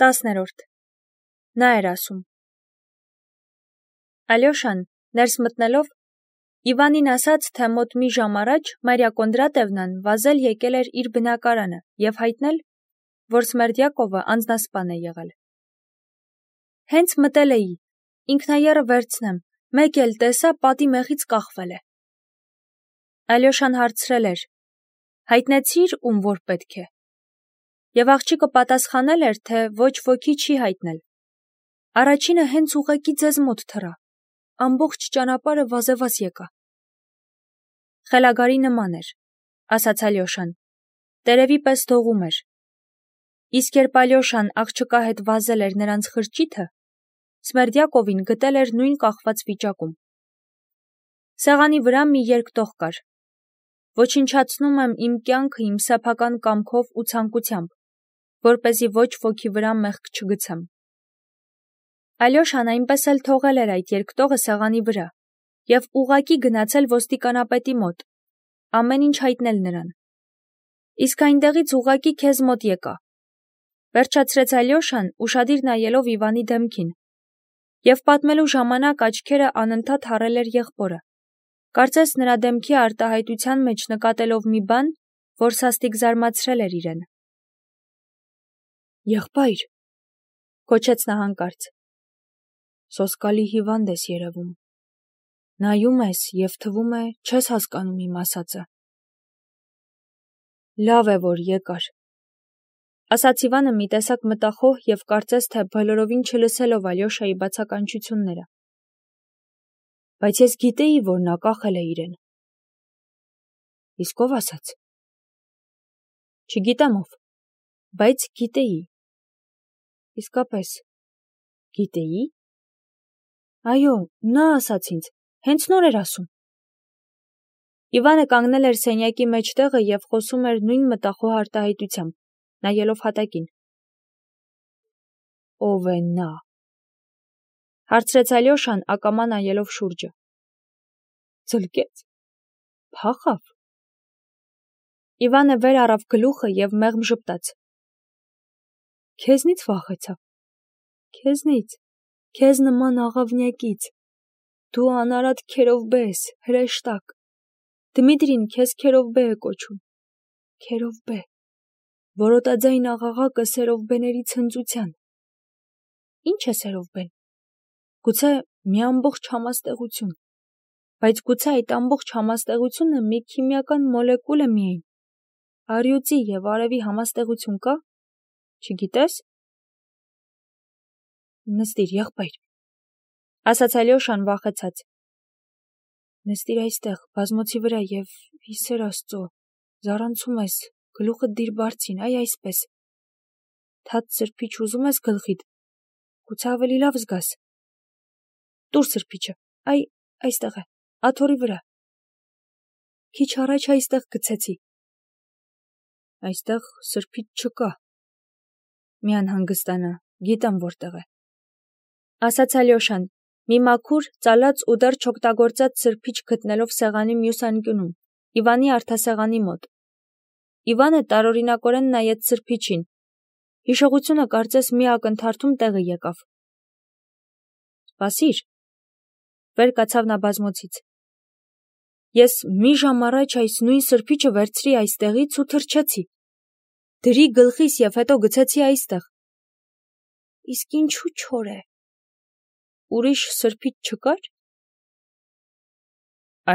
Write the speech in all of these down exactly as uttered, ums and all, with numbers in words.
տասներորդ. Նա էր ասում. Ալյոշան, ներս մտնելով, Իվանին ասաց, թե մոտ մի ժամ առաջ Մարիա Կոնդրատևնան վազել եկել էր իր բնակարանը և հայտնել, որ Սմերդյակովը անձնասպան է եղել։ Հենց մտել էի, ինքնաեռը վերցնեմ, մեկ էլ տեսա պատի մեղից կախվել է։ Ալյոշան հարցրել էր. հայտնեցի՞ր, ում որ պետք է։ Եվ աղջիկը պատասխանել էր, թե ոչ ոքի չի հայտնել։ Առաջինը հենց ուղղակի ձեզ մոտ թռա, ամբողջ ճանապարհը վազեվազ եկա։ Խելագարի նման էր, ասաց Ալյոշան, տերևի պես դողում էր։ Իսկ երբ Ալյոշան աղջկա հետ վազել էր նրանց խրճիթը, Սմերդյակովին գտել էր նույն կախված վիճակում։ Սեղանի վրա մի երկտող կար։ Ոչնչացնում եմ իմ կյանքը իմ սեփական կամքով ու ցանկությամբ, որպեսզի ոչ ոքի վրա մեղք չգցեմ։ Ալյոշան այնպես էլ թողել էր այդ երկտողը սեղանի վրա և ուղղակի գնացել ոստիկանապետի մոտ, ամեն ինչ հայտնել նրան։ Իսկ այնտեղից ուղղակի քեզ մոտ եկա, վերջացրեց Ալյոշան, ուշադիր նայելով Իվանի դեմքին, և պատմելու ժամանակ աչքերը անընդհատ հառել էր եղբորը, կարծես նրա դեմքի արտահայտության մեջ նկատելով մի բան, որ սաստիկ զարմացրել էր իրեն։ Եղբայր, կոչեց նա հանկարծ, սոսկալի հիվանդ ես երևում, նայում ես և թվում է չես հասկանում իմ ասածը։ Լավ է, որ եկար, ասաց Իվանը մի տեսակ մտախոհ և կարծես թե բոլորովին չլսելով Ալյոշայի բացականչությունները։ Բայց ես գիտեի, որ նա կախել է իրեն։ Իսկ ով ասաց։ Չգիտեմ ով, բայց գիտեի։ Իսկապես, գիտեի։ Այո, նա ասաց ինձ, հենց նոր էր ասում։ Իվանը կանգնել էր սենյակի մեջտեղը և խոսում էր նույն մտախոհ արտահայտությամբ, նայելով հատակին։ Ո՞վ է նա, հարցրեց Ալյոշան ակամա նայելով շուրջը։ Ձլկեց, փախավ։ Իվանը վեր առավ գլուխը և մեղմ ժպտաց։ Քեզնից վախեցավ, քեզնից, քեզ նման աղավնյակից, դու անարատ քերովբե ես, հրեշտակ, Դմիտրին քեզ քերովբե է կոչում, քերովբե, որոտաձայն աղաղակը սերովբեների ցնծության։ Ինչ է սերովբեն։ Գուցե մի ամբողջ համաստեղություն, բայց գուցե այդ ամբողջ համաստեղությունը մի քիմիական մոլեկուլ է միայն, առյուծի և արևի համաստեղություն կա, չգիտես։ Նստիր, եղբայր, ասաց Ալյոշան վախեցած։ Նստիր այստեղ, բազմոցի վրա և հիսեր Աստծո, զառանցում ես, գլուխդ դիր բարձին, այ այսպես։ Թաց սրբիչ ուզում ես գլխիդ, գուցե ավելի լավ զգաս։ Տուր սրբիչը, այ այստեղ է, աթոռի վրա։ Քիչ առաջ այստեղ գցեցի։ Այստեղ սրբիչ չկա։ Մի անհանգստանա, գիտեմ որտեղ է, ասաց Ալյոշան, մի մաքուր, ծալած ու դեռ չօգտագործած սրբիչ գտնելով սեղանի մյուս անկյունում, Իվանի արդասեղանի մոտ։ Իվանը տարօրինակորեն նայեց սրբիչին։ Հիշողությունը կարծես մի ակնթարթում տեղը եկավ։ Սպասիր, վեր կացավ նա բազմոցից։ Ես մի ժամ առաջ այս նույն սրբիչը վերցրի այստեղից ու թռչեցի։ Դրի գլխիս և հետո գցեցի այստեղ։ Իսկ ինչու չոր է։ Ուրիշ սրբիչ չկար։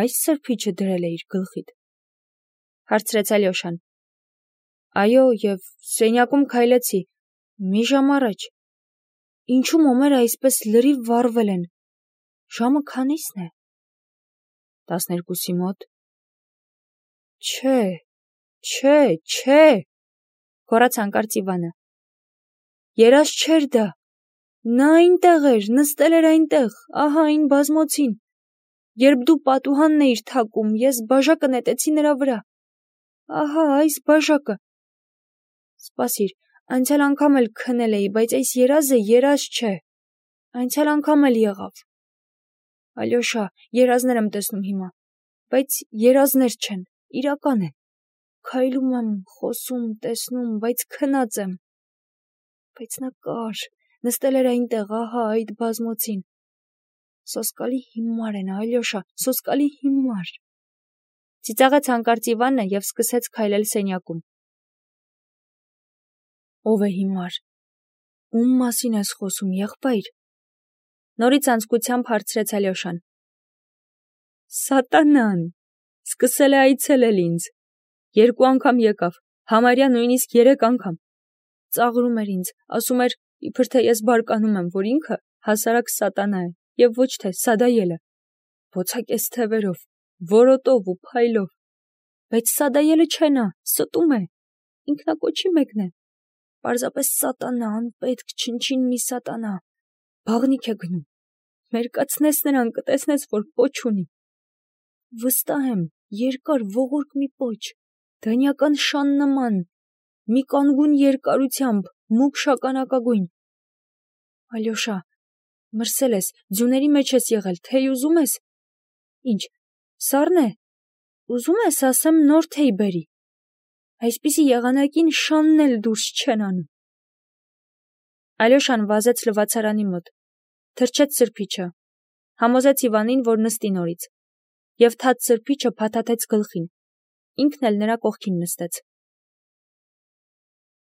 Այս սրբիչը դրել էիր գլխիդ, հարցրեց Ալյոշան։ Այո, և սենյակում քայլեցի, մի ժամ առաջ։ Ինչու մոմերը այսպես լրիվ վառվել են։ Ժամը քանիսն է։ Տասներկուսի մոտ։ Չէ, չէ, չէ, գոռաց հանկարծ Իվանը։ Երազ չէր դա։ Նա այնտեղ էր, նստել էր այնտեղ, ահա այն բազմոցին։ Երբ դու պատուհանն էիր թակում, ես բաժակը նետեցի նրա վրա։ Ահա այս բաժակը։ Սպասիր, անցյալ անգամ էլ քնել էի, բայց այս երազը երազ չէ։ Անցյալ անգամ էլ եղավ։ Ալյոշա, երազներ եմ տեսնում հիմա, բայց երազներ չեն, իրական են։ Քայլում եմ, խոսում, տեսնում, բայց քնած եմ։ Բայց նա կար, նստել էր այնտեղ, ահա այդ բազմոցին։ Սոսկալի հիմար է նա, Ալյոշա, սոսկալի հիմար։ Ծիծաղեց հանկարծ Իվանը և սկսեց քայլել սենյակում։ Ո՞վ է հիմար։ Ում մասին ես խոսում, եղբայր։ Նորից անձկությամբ հարցրեց Ալյոշան։ Սատանան, սկսել է այցելել ինձ։ Երկու անգամ եկավ, համարյա նույնիսկ երեք անգամ։ Ծաղրում էր ինձ, ասում էր, իբր թե ես բարկանում եմ, որ ինքը հասարակ սատանա է, և ոչ թե Սադայելը։ Բոցակեց թևերով, որոտով ու փայլով։ Բայց Սադայելը չէ նա, ստում է, ինքնակոչի մեկն է։ Պարզապես սատանա, անպետք, չնչին մի սատանա։ Բաղնիք է գնում։ Մերկացնես նրան, կտեսնես, որ պոչ ունի։ Վստահ եմ, երկար ողորկ մի պոչ, դանյական շան նման, մի կանգուն երկարությամբ, մուգ շագանակագույն։ Ալյոշա, մրսել ես, ձյուների մեջ ես եղել, թեյ ուզում ես։ Ինչ, սառն է։ Ուզում ես, ասեմ, նոր թեյ բերի։ Այսպիսի եղանակին շանն էլ դուրս չեն անում։ Ալյոշան վազեց լվացարանի մոտ, թրջեց սրբիչը, համոզեց Իվանին, որ նստի նորից, և թաց սրբիչը փաթաթեց գլխին, ինքն էլ նրա կողքին նստեց։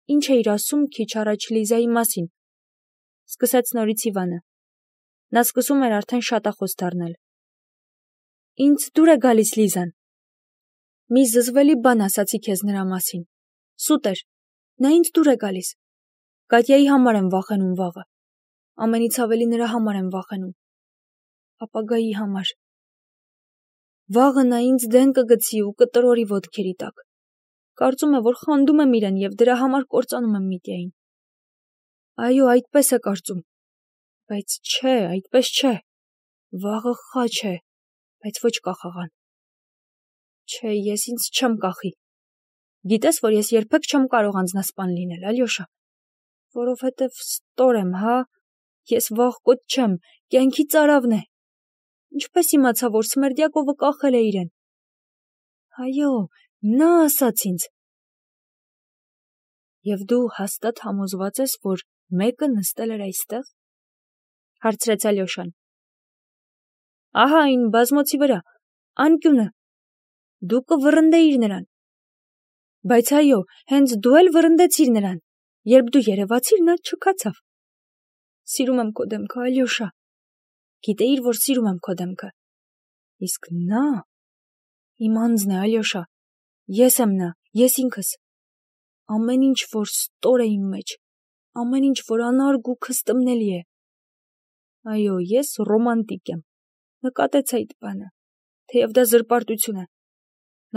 Ինչ էիր ասում քիչ առաջ Լիզայի մասին, սկսեց նորից Իվանը։ Նա սկսում էր արդեն շատախոս դառնալ։ Ինձ դուր է գալիս Լիզան։ Մի զզվելի բան ասացի քեզ նրա մասին։ Սուտ էր, նա ինձ դուր է գալիս։ Կատյայի համար եմ վախենում վաղը։ Ամենից ավելի նրա համար եմ վախենում։ Ապագայի համար։ Վաղը նա ինձ դեն կգցի ու կտրորի ոտքերի տակ։ Կարծում է, որ խանդում եմ իրեն և դրա համար կործանում եմ Միտյային։ Այո, այդպես է կարծում։ Բայց չէ, այդպես չէ։ Վաղը խաչ է, բայց ոչ կախաղան։ Չէ, ես ինձ չեմ կախի։ Գիտես, որ ես երբեք չեմ կարող անձնասպան լինել, Ալյոշա, որովհետև ստոր եմ, հա, ես վախկոտ չեմ, կյանքի ծարավն է։ Ինչպես իմացա, որ Սմերդյակովը կախել է իրեն։ Այո, նա ասաց ինձ։ Եվ դու հաստատ համոզված ես, որ մեկը նստել էր այստեղ, հարցրեց Ալյոշան։ Ահա այն բազմոցի վրա, անկյունը։ Դու կվռնդեիր նրան։ Բայց այո, հենց դու էլ վռնդեցիր նրան, երբ դու երևացիր, նա չքացավ։ Սիրում եմ քո դեմքը, Ալյոշա։ Գիտեիր, որ սիրում եմ քո դեմքը։ Իսկ նա իմ անձն է, Ալյոշա։ Ես եմ նա, ես ինքս։ Ամեն ինչ, որ ստոր է իմ մեջ, ամեն ինչ, որ անարգ ու քստմնելի է։ Այո, ես ռոմանտիկ եմ։ Նկատեց այդ բանը, թեև դա զրպարտություն է։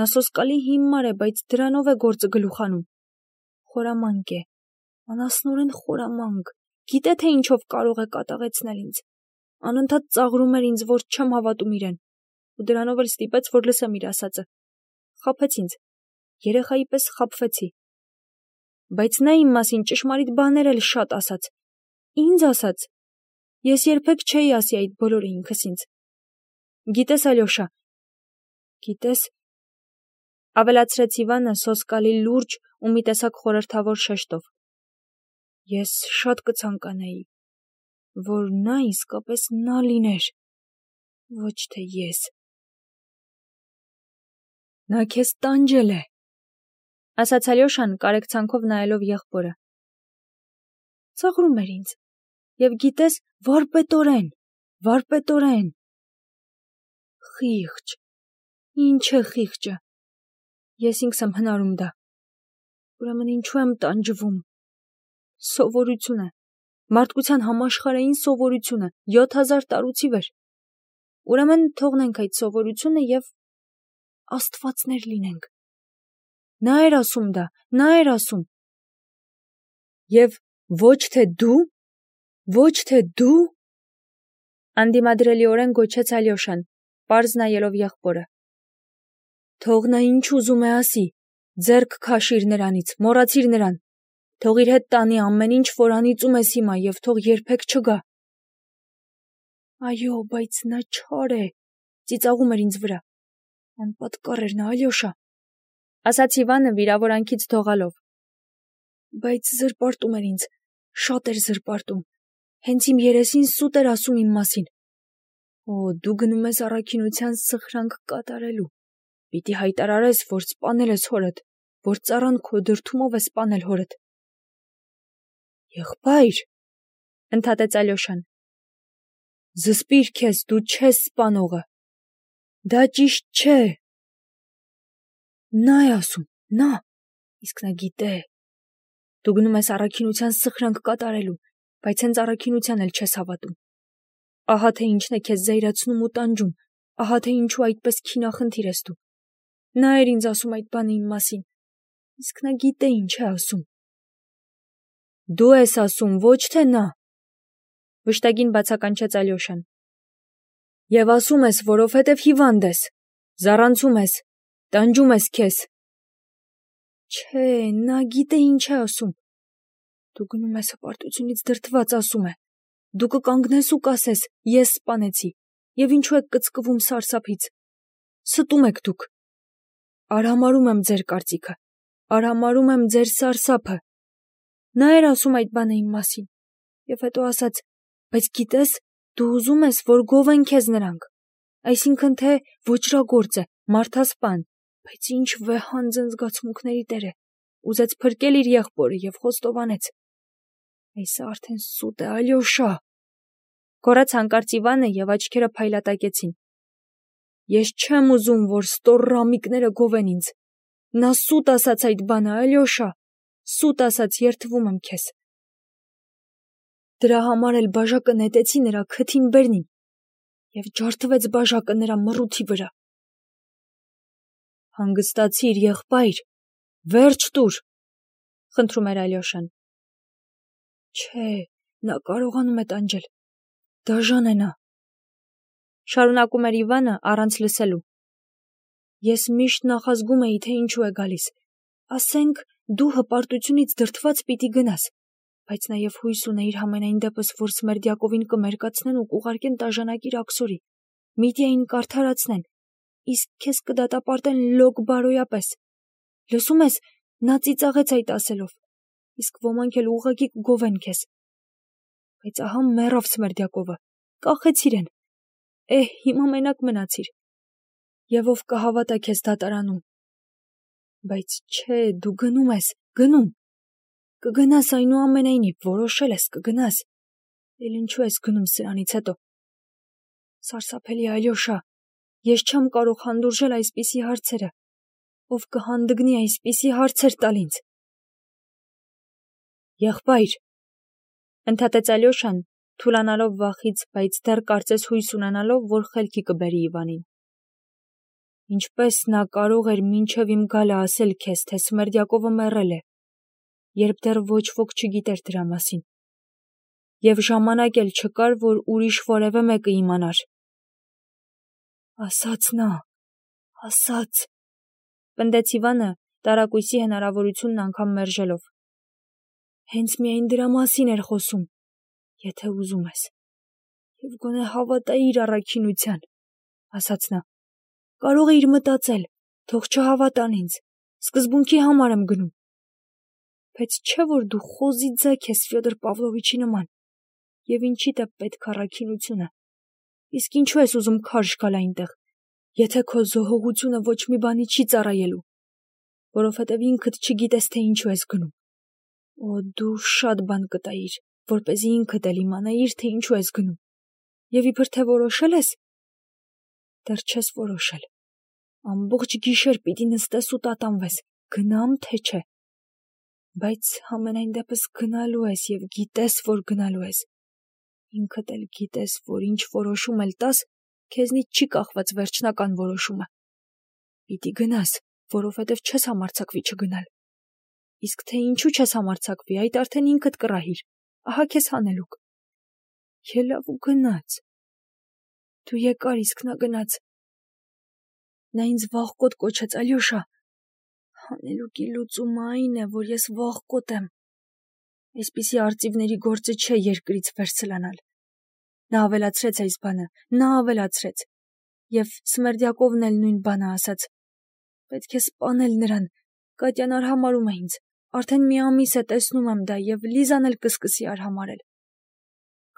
Նա սոսկալի հիմար է, բայց դրանով է գործը գլուխանում։ Խորամանկ է, անասնորեն խորամանկ, գիտե թե ինչով կարող է կատաղեցնել ինձ։ Անընդհատ ծաղրում էր ինձ, որ չեմ հավատում իրեն, ու դրանով էլ ստիպեց, որ լսեմ իր ասածը։ Խաբեց ինձ, երեխայի պես խաբվեցի։ Բայց նա իմ մասին ճշմարիտ բաներ էլ շատ ասաց։ Ինձ ասաց։ Ես երբեք չէի ասի այդ բոլորը ինքս ինձ։ Գիտես, Ալյոշա, գիտես, ավելացրեց Իվանը սոսկալի լուրջ ու մի տեսակ խորհրդավոր շեշտով։ Ես շատ կցանկանայի, որ նա իսկապես նա լիներ, ոչ թե ես։ Նա քեզ տանջել է, ասաց Ալյոշան կարեկցանքով նայելով եղբորը։ Ծաղրում էր ինձ, և գիտես, վարպետորեն, վարպետորեն։ Խիղճ, ինչ է խիղճը։ Ես ինքս եմ հնարում դա։ Ուրեմն ինչու եմ տանջվում։ Սովորություն է, մարդկության համաշխարհային սովորությունը, յոթ հազար տարուց ի վեր։ Ուրեմն թողնենք այդ սովորությունը և աստվածներ լինենք։ Նա էր ասում դա, նա էր ասում։ Եվ ոչ թե դու, ոչ թե դու, անդիմադրելիորեն գոչեց Ալյոշան, պարզ նայելով եղբորը։ Թող նա ինչ ուզում է ասի, ձեռք քաշիր նրանից, մոռացիր նրան, թող իր հետ տանի ամեն ինչ, որ անիծում ես հիմա, և թող երբեք չգա։ Այո, բայց նա չար է, ծիծաղում էր ինձ վրա։ Անպատկառ էր նա, Ալյոշա, ասաց Իվանը վիրավորանքից դողալով։ Բայց զրպարտում էր ինձ, Շատ էր զրպարտում, հենց իմ երեսին սուտ էր ասում իմ մասին։ Օ, դու գնում ես առաքինության սխրանք կատարելու, պիտի հայտարարես, որ սպանել ես հորդ, որ ծառան քո դրդումով է սպանել հորդ։ Եղբայր, ընդհատեց Ալյոշան, զսպիր քեզ, դու չես սպանողը, դա ճիշտ չէ։ Նա է ասում, նա, իսկ նա գիտե։ Դու գնում ես առաքինության սխրանք կատարելու, բայց հենց առաքինության էլ չես հավատում։ Ահա թե ինչն է քեզ զայրացնում ու տանջում, ահա թե ինչու այդպես քինախնդիր ես դու։ Նա էր ինձ ասում այդ բանը իմ մասին, իսկ նա գիտե ինչ է ասում։ Դու ես ասում, ոչ թե նա, վշտագին բացականչեց Ալյոշան։ Եվ ասում ես, որովհետև հիվանդ ես, զառանցում ես, տանջում ես քեզ։ Չէ, նա գիտե ինչ է ասում։ Դու գնում ես հպարտությունից դրդված, ասում է։ Դու կկանգնես ու կասես, ես սպանեցի, և ինչու եք կծկվում սարսափից։ Ստում եք դուք։ Արհամարում եմ ձեր կարծիքը, արհամարում եմ ձեր սարսափը։ Նա էր ասում այդ բանը իմ մասին, և հետո ասաց, բայց գիտես, դու ուզում ես, որ գովեն քեզ նրանք, այսինքն թե ոճրագործ է, մարդասպան, բայց ինչ վեհանձն զգացմունքների տեր է, ուզեց փրկել իր եղբորը և խոստովանեց։ Այս արդեն սուտ է, Ալյոշա, գոռաց հանկարծ Իվանը և աչքերը փայլատակեցին։ Ես չեմ ուզում, որ ստոր ռամիկները գովեն ինձ։ Նա սուտ ասաց այդ բանը, Ալյոշա, սուտ ասաց, երդվում եմ քեզ։ Դրա համար էլ բաժակը նետեցի նրա քթին բերնին, և ջարդվեց բաժակը նրա մռութի վրա։ Հանգստացիր, եղբայր, վերջ տուր, խնդրում էր Ալյոշան։ Չէ, նա կարողանում է տանջել, դաժան է նա, շարունակում էր Իվանը առանց լսելու։ Ես միշտ նախազգում էի, թե ինչու է գալիս, ասենք, դու հպարտությունից դրդված պիտի գնաս, բայց նաև հույս ունեիր համենայն դեպս, որ Սմերդյակովին կմերկացնեն ու կուղարկեն տաժանակիր աքսորի, Միդիային կարդարացնեն, իսկ քեզ կդատապարտեն լոկ բարոյապես։ Լսում ես, նա ծիծաղեց այդ ասելով, իսկ ոմանք էլ ուղղակի կգովեն քեզ։ Բայց ահա մեռավ Սմերդյակովը, կախեցիր են, էհ, հիմա մենակ մնացիր, և ով կհավատա քեզ դատարանում։ Բայց չէ, դու գնում ես, գնում, կգնաս այնուամենայնիվ, որոշել ես, կգնաս, էլ ինչու ես գնում սրանից հետո։ Սարսափելի Ալյոշա, ես չեմ կարող հանդուրժել այսպիսի հարցերը, ով կհանդգնի այսպիսի հարցեր տալ ինձ։ Եղբայր, ընդհատեց Ալյոշան, թուլանալով վախից, բայց դեռ կարծես հույս ունենալով, որ խելքի կբերի Իվանին։ Ինչպես նա կարող էր մինչև իմ գալը ասել քեզ, թե Սմերդյակովը մեռել է, երբ դեռ ոչ ոք չգիտեր դրա մասին, և ժամանակ էլ չկար, որ ուրիշ որևէ մեկը իմանար։ Ասաց նա, ասաց, պնդեց Իվանը, տարակույսի հնարավորությունն անգամ մերժելով։ Հենց միայն դրա մասին էր խոսում, եթե ուզում ես, և գոնե հավատայիր առաքինության, ասաց նա, կարող էիր մտածել, թող չհավատան ինձ, սկզբունքի համար եմ գնում, բայց չէ որ դու խոզի ձագ ես Ֆյոդոր Պավլովիչի նման, և ինչիդ է պետք առաքինությունը, իսկ ինչու ես ուզում քարշ գալ այնտեղ, եթե քո զոհողությունը ոչ մի բանի չի ծառայելու, որովհետև ինքդ չգիտես, թե ինչու ես գնում։ Օ, դու շատ բան կտայիր, որպեսզի ինքդ էլ իմանայիր, թե ինչու ես գնում, և իբր թե որոշել ես, դեռ չես որոշել, ամբողջ գիշեր պիտի նստես ու տատանվես, գնամ թե չէ, բայց համենայն դեպս գնալու ես և գիտես, որ գնալու ես, ինքդ էլ գիտես, որ ինչ որոշում էլ տաս, քեզնից չի կախված վերջնական որոշումը, պիտի գնաս, որովհետև չես համարձակվի չգնալ, իսկ թե ինչու չես համարձակվի, այդ արդեն ինքդ կռահիր, ահա քեզ հանելուկ։ Ելավ ու գնաց, դու եկար, իսկ նա գնաց, նա ինձ վախկոտ կոչեց, Ալյոշա, հանելուկի լուծումը այն է, որ ես վախկոտ եմ, այսպիսի արծիվների գործը չէ երկրից վերցլանալ։ Նա ավելացրեց այս բանը, նա ավելացրեց, և Սմերդյակովն էլ նույն բանը ասաց, պետք է սպանել նրան, Կատյան արհամարհում է ինձ, Արդեն մի ամիս է տեսնում եմ դա եւ Լիզան էլ կսկսի արհամարել։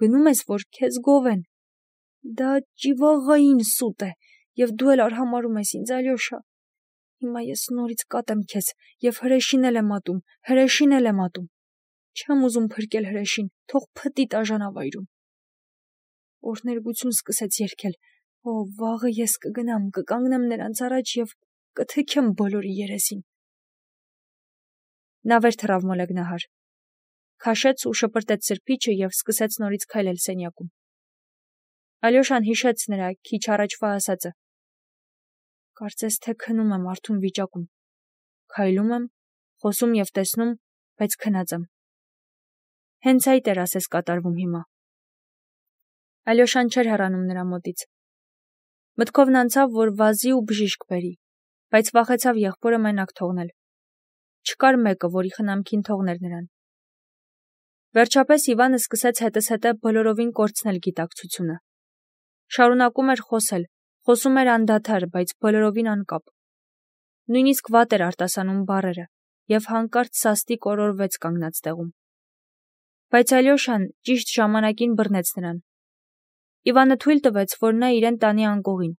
Գնում ես, որ քեզ գովեն։ Դա ճիվաղային սուտ է եւ դու էլ արհամարում ես ինձ, Ալյոշա։ Հիմա ես նորից կատեմ քեզ եւ հրեշին էլ եմ ատում, հրեշին էլ եմ ատում։ Չեմ ուզում փրկել հրեշին, թող փտի տաժանավայրում։ Օրհներգություն սկսեց երգել։ Օ, վաղը ես կգնամ, կկանգնեմ նրանց առաջ եւ կթեքեմ բոլորի երեսին։ Նա վեր թռավ մոլեգնահար, քաշեց ու շպրտեց սրբիչը եւ սկսեց նորից քայլել սենյակում։ Ալյոշան հիշեց նրա քիչ առաջվա ասածը. Կարծես թե քնում եմ արթուն վիճակում, քայլում եմ, խոսում եւ տեսնում, բայց քնած եմ։ Հենց այդ էր ասես կատարվում հիմա։ Ալյոշան չէր հեռանում նրա մոտից։ Մտքովն անցավ, որ վազի ու բժիշկ բերի, բայց վախեցավ եղբորը մենակ թողնել։ Չկար մեկը, որի խնամքին թողներ նրան։ Վերջապես Իվանը սկսեց հետս հետը բոլորովին կորցնել գիտակցությունը։ Շարունակում էր խոսել, խոսում էր անդադար, բայց բոլորովին անկապ։ Նույնիսկ վատ էր արտասանում բառերը եւ հանկարծ սաստիկ օրորվեց կանգնած տեղում։ Բայց Ալյոշան ճիշտ ժամանակին բռնեց նրան։ Իվանը թույլ տվեց, որ նա իրեն տանի անկողին։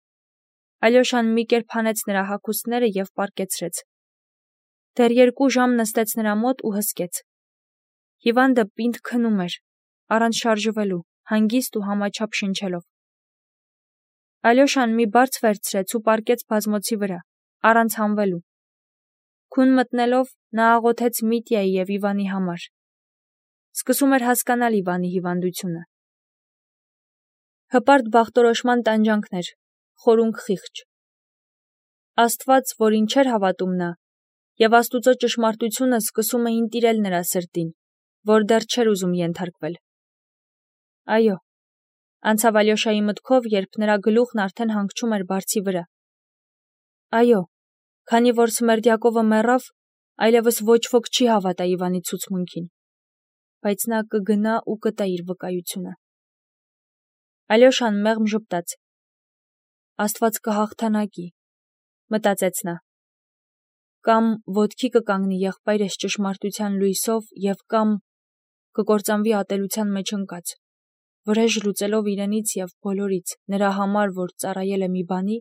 Ալյոշան մի կերպ հանեց նրա հագուստները եւ պառկեցրեց։ Դեռ երկու ժամ նստեց նրա մոտ ու հսկեց։ Հիվանդը պինդ քնում էր, առանց շարժվելու, հանգիստ ու համաչափ շնչելով։ Ալյոշան մի բարձ վերցրեց ու պառկեց բազմոցի վրա, առանց հանվելու։ Քուն մտնելով նա աղոթեց Միտյայի եւ Իվանի համար։ Սկսում էր հասկանալ Իվանի հիվանդությունը։ Հպարտ բախտորոշման տանջանքներ, խորունկ խիղճ։ Աստված, որին չէր հավատում նա, եւ Աստուծո ճշմարտությունը սկսում էին տիրել նրա սրտին, որ դեռ չէր ուզում ենթարկվել։ Այո, անցավ Ալյոշայի մտքով, երբ նրա գլուխն արդեն հանգչում էր բարձի վրա։ Այո, քանի որ Սմերդյակովը մեռավ, այլևս ոչ ոք չի հավատա Իվանի ցուցմունքին, բայց նա կգնա ու կտա իր վկայությունը։ Ալյոշան մեղմ ժպտաց։ Աստված կհաղթանակի, մտածեց նա։ Կամ ոտքի կկանգնի եղբայրս ճշմարտության լույսով եւ կամ կկործանվի ատելության մեջ ընկած, վրեժ լուծելով իրենից եւ բոլորից, նրա համար, որ ծառայել է մի բանի,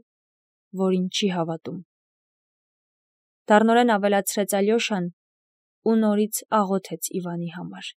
որին չի հավատում։ Դառնորեն ավելացրեց Ալյոշան ու նորից աղոթեց Իվանի համար։